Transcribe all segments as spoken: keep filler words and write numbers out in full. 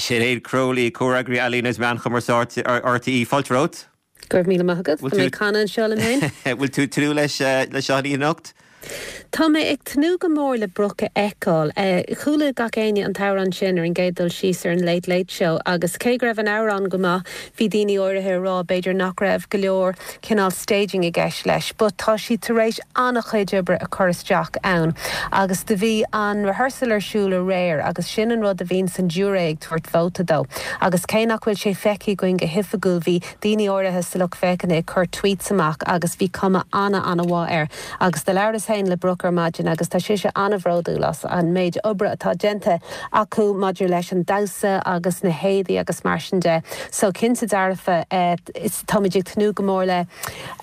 Sinéad Crowley, Comhfhreagraí Ealaíon is Meán Chumarsáide R T É, fáilte romhat. Go raibh míle maith agat, mé canna seo le mé. Bhfuil tú tnúth leis leis seo anocht? Tá mé ag tnúth go mór le Brooke a fheiceáil. Chuala gach éinne an t-amhrán sin ar an gcéad dul síos ar an Late Late Show agus cé go raibh an amhrán go maith, bhí daoine áirithe ag rá b'fhéidir nach raibh go leor cineál staging i gceist leis, but tá sí tar éis an-chuid oibre a chur isteach ann. Agus do bhí an rehearsal ar siúl aréir agus sin an rud a bhíonn an giúiré ag tabhairt vóta dó. Agus cé nach bhfuil sé feicthe againn go hoifigiúil, bhí daoine áirithe sa lucht féachana ag cur tweets amach agus bhí cuma ana an-mhaith air. Agus do labhras féin le Brooke ar maidin agus tá sise an-bhródúil as an méid oibre atá déanta acu maidir leis an damhsa agus na héadaí agus mar sin de. So cinnte dearfa eh, táimid ag tnúth go mór le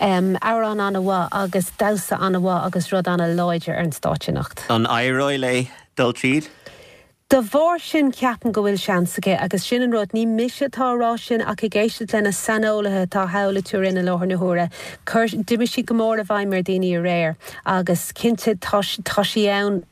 um, amhrán an-mhaith agus damhsa an-mhaith agus rud an-láidir ar an stáitse anocht. An éireoidh léi dul tríd? De bharr sin ceapaim go bhfuil seans aici agus sin an rud, ní mise atá á rá sin ach ag éisteacht lena saineolaithe atá thall i Turin i láthair na huaire. D'imigh sí go mór i bhfeidhm ar daoine aréir agus cinnte tá sí ann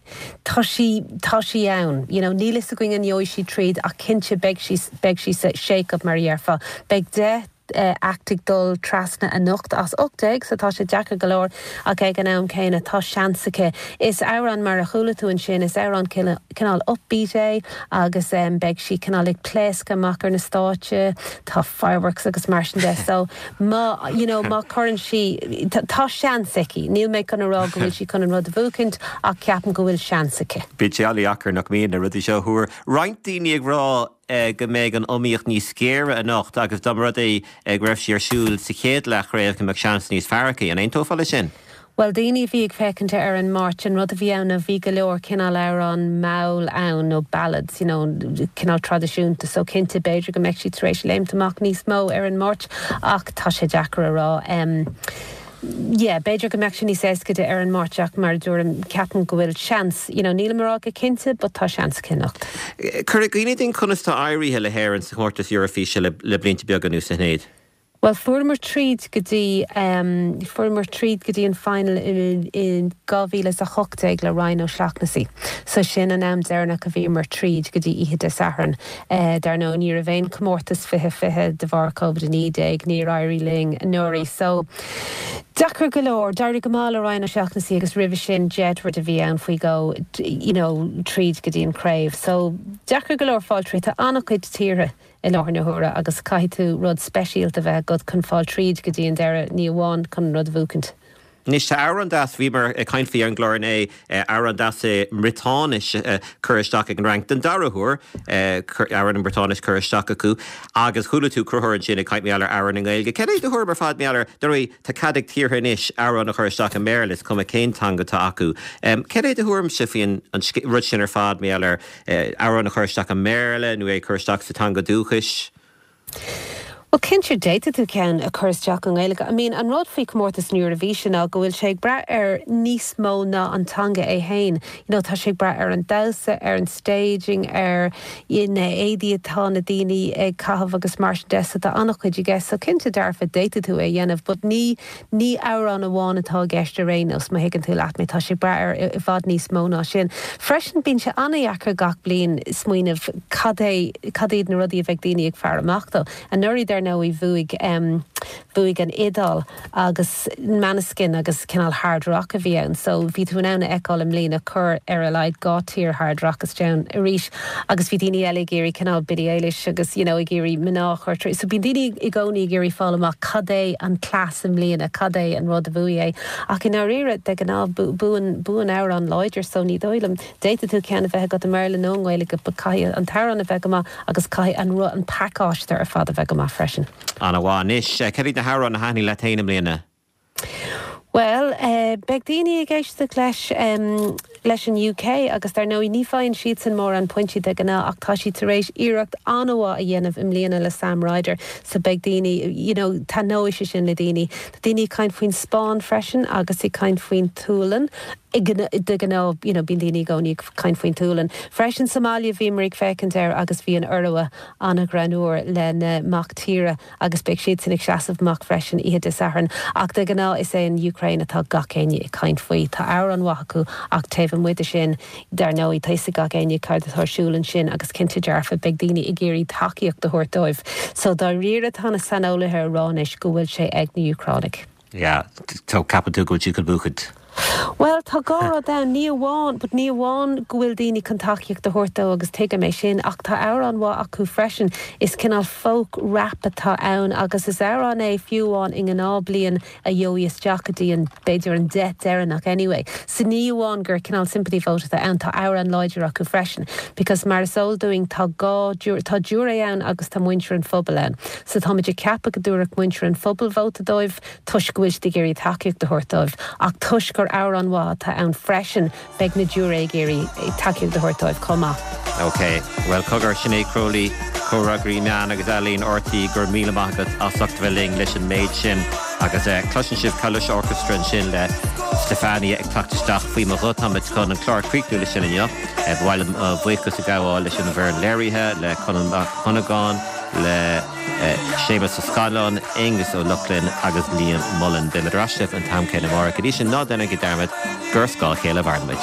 tá sí tá sí ann. You know, níl fhios againn an ngeobhaidh sí tríd ach cinnte beidh sí beidh sí sa shake-up mar a déarfá. Beidh deich uh, act ag dul trasna anocht as ocht déag, so tá sé deacair go leor ach ag an am céanna tá seans aici. Is amhrán mar a chuala tú ansin, is amhrán cineál upbeat é agus um, beidh sí cineál ag pléascadh amach ar na stáitse, tá fireworks agus mar sin de so má you know, má chuireann sí tá seans aici, Níl mé chun rá go bhfuil sí chun an rud a bhuachaint ach ceapaim go bhfuil seans aici. Bíonn sé an-deacair nach mbíonn na rudaí seo a thuar. Roinnt daoine ag rá eh, go mbeidh an iomaíocht níos géire anocht agus dá mba rud é eh, go raibh sí ar siúl sa chéad leathchraobh go mbeadh seans níos fearr aici, an aontófá leis sin? Well daoine bhí ag féachaint ar an Máirt, an rud a bhí ann a bhí go leor cineál amhrán mall ann nó ballads you know, cineál traidisiúnta, so cinnte b'fhéidir go mbeidh sí tar éis léimt amach níos mó ar an Máirt ach tá sé deacair a rá. Um, Yeah, b'fhéidir go mbeidh sé níos éasca ar an Máirt ach mar dúirt ceapaim go bhfuil seans, you know, níl mar go cinnte, but tá seans aici anocht. Cuir i gcuimhne dúinn conas tá éirithe le hÉirinn sa chomórtas Eorafíse le, le blianta beaga anuas, a Shinéad. Well fuaireamar tríd go dtí um, fuaireamar tríd go dtí an final in, in dhá mhíle a hocht déag le Ryan O'Shaughnessy. So sin an am deireanach a bhíomar tríd go dtí oíche Dé Sathairn. Uh, dar ndóigh ní raibh aon comórtas fiche fiche de bharr COVID a naoi déag níor éirigh linn anuraidh. So deacair go leor, d'éirigh go maith le Ryan O'Shaughnessy agus roimhe sin Jedward a bhí ann faoi go you know, tríd go dtí an craobh. So deacair go leor fáil tríd, tá an-chuid tíortha i láthair na huaire agus caithfidh tú rud speisialta bheith agat chun fáil tríd go dtí an deireadh, ní amháin chun rud a bhuachaint. Anois tá amhrán deas, bhíomar ag caint faoi ar an gclár inné, amhrán deas i mBriotáinis curtha isteach ag an Fhrainc den dara huair, amhrán i mBriotáinis curtha isteach acu agus chuala tú Conchúr ansin ag caint mar gheall ar amhrán i nGaeilge. Cén é do thuairim ar fad mar gheall ar dar tá cead ag tíortha anois amhrán a chur isteach i mBéarla, is cuma cén teanga atá acu. Cén é do thuairimse faoin an rud sin ar fad mar gheall ar amhrán a chur isteach i mBéarla nó é chur isteach sa teanga dúchais? Well cinnte d'fhéadfadh tú ceann a chur isteach i nGaeilge. I mean an rud faoi comórtas na Eoraivíse ná go bhfuil sé ag brath ar níos mó ná an teanga é féin. You know, tá sé ag brath ar an damhsa, ar an staging, ar na héadaí atá na daoine ag caitheamh agus mar sin de, so tá an-chuid i gceist, so cinnte dearfa d'fhéadfadh tú é dhéanamh, but ní ní amhrán amháin atá i gceist ar aon nós má thuigeann tú leat mé, tá sé brath ar i bhfad níos mó ná sin. Freisin bíonn sé an-deacair gach bliain smaoineamh cad é cad iad na rudaí a bheidh daoine ag faire amach dó. Anuraidh dar ndóigh bhuaigh um, bhuaigh an Iodáil agus Måneskin agus cineál hard rock a bhí ann, so bhí tú in ann a fheiceáil i mbliana cur ar a laghad dhá tír hard rock isteach arís agus bhí daoine eile ag iarraidh cineál Billie Eilish agus you know, ag iarraidh mná chur. So bíonn daoine i gcónaí ag iarraidh fáil amach cad é an cleas i mbliana, cad é an rud a bhuaigh é. Ach i ndáiríre de ghnáth buann buann amhrán láidir, so ní dóigh liom d'fhéadfadh tú ceann a bheith agat i mBéarla nó i nGaeilge, caithfidh an t-amhrán a bheith go maith agus caithfidh an an pacáiste ar fad a bheith go maith freisin. An-mhaith. Anois cad iad na hamhráin a thaitnigh leat féin i mbliana? Well, uh, beidh daoine ag éisteacht leis um, leis an U K agus dar ndóigh ní fhaigheann siadsan mórán pointí de ghnáth ach tá siad tar éis iarracht an-mhaith a dhéanamh i mbliana le Sam Ryder, so beidh daoine you know, taitneoidh sé sin le daoine. Tá daoine ag caint faoin Spáinn freisin agus ag caint faoin tSualainn. De ghnáth, you know, bíonn daoine i gcónaí ag caint faoin tSualainn. Freisin sa mbaile bhíomar ag féachaint air agus bhí an Iorua an-ghreannmhar lena mac tíre agus beidh siad sin ag seasamh amach freisin oíche Dé Sathairn. Ach de ghnáth is é an Ukraine atá gach éinne ag caint faoi. Tá amhrán maith acu ach taobh amuigh de sin dar ndóigh tá a fhios ag gach éinne céard atá ar siúl ansin agus cinnte dearfa beidh daoine ag iarraidh tacaíocht a thabhairt dóibh. So dáiríre tá na saineolaithe ag rá anois go bhfuil sé ag na Úcránaigh. Yeah, tá ceapann tú go bhfuil siad chun buachaint. Well tá dhá rud ann ní amháin, but ní amháin go bhfuil daoine chun tacaíocht a thabhairt dó agus tuigim é sin ach tá amhrán mhaith acu freisin. Is cineál folk rap atá ann agus is amhrán é fiú amháin i ngnáthbhliain a gheobhaidh isteach go dtí an b'fhéidir an deich deireanach anyway. So ní amháin gur cineál sympathy vote atá ann tá amhrán láidir acu freisin. Because mar is eol dúinn tá dhá tá giúiré ann agus tá muintir an phobail ann. So táimid ag ceapadh go dtabharfadh muintir an phobail vóta dóibh toisc go bhfuil siad ag iarraidh tacaíocht a thabhairt dóibh ach toisc gur amhrán mhaith atá ann freisin beidh na giúiré ag iarraidh tacaíocht a thabhairt dóibh chomh maith. Ok, well cogar Sinéad Crowley, Comhfhreagraí Meán agus Ealaíon RTÉ go raibh míle maith agat as ucht bheith linn leis an méid sin agus uh, cloiseann sibh Kalush Orchestra ansin le Stefania ag teacht isteach faoi mo ghuth táimid chun an clár a chríochnú leis sin inniu. Ba mhaith liom buíochas a ghabháil leis an bhfoireann léirithe le Conall Mac Cunagáin le Séamus Ó Scanláin, Aengus Ó Lochlainn agus Liam Mullen. Beimid ar ais an t-am céanna amárach go dtí sin ná déanaigí dearmad gur scáth a chéile a mhairimid.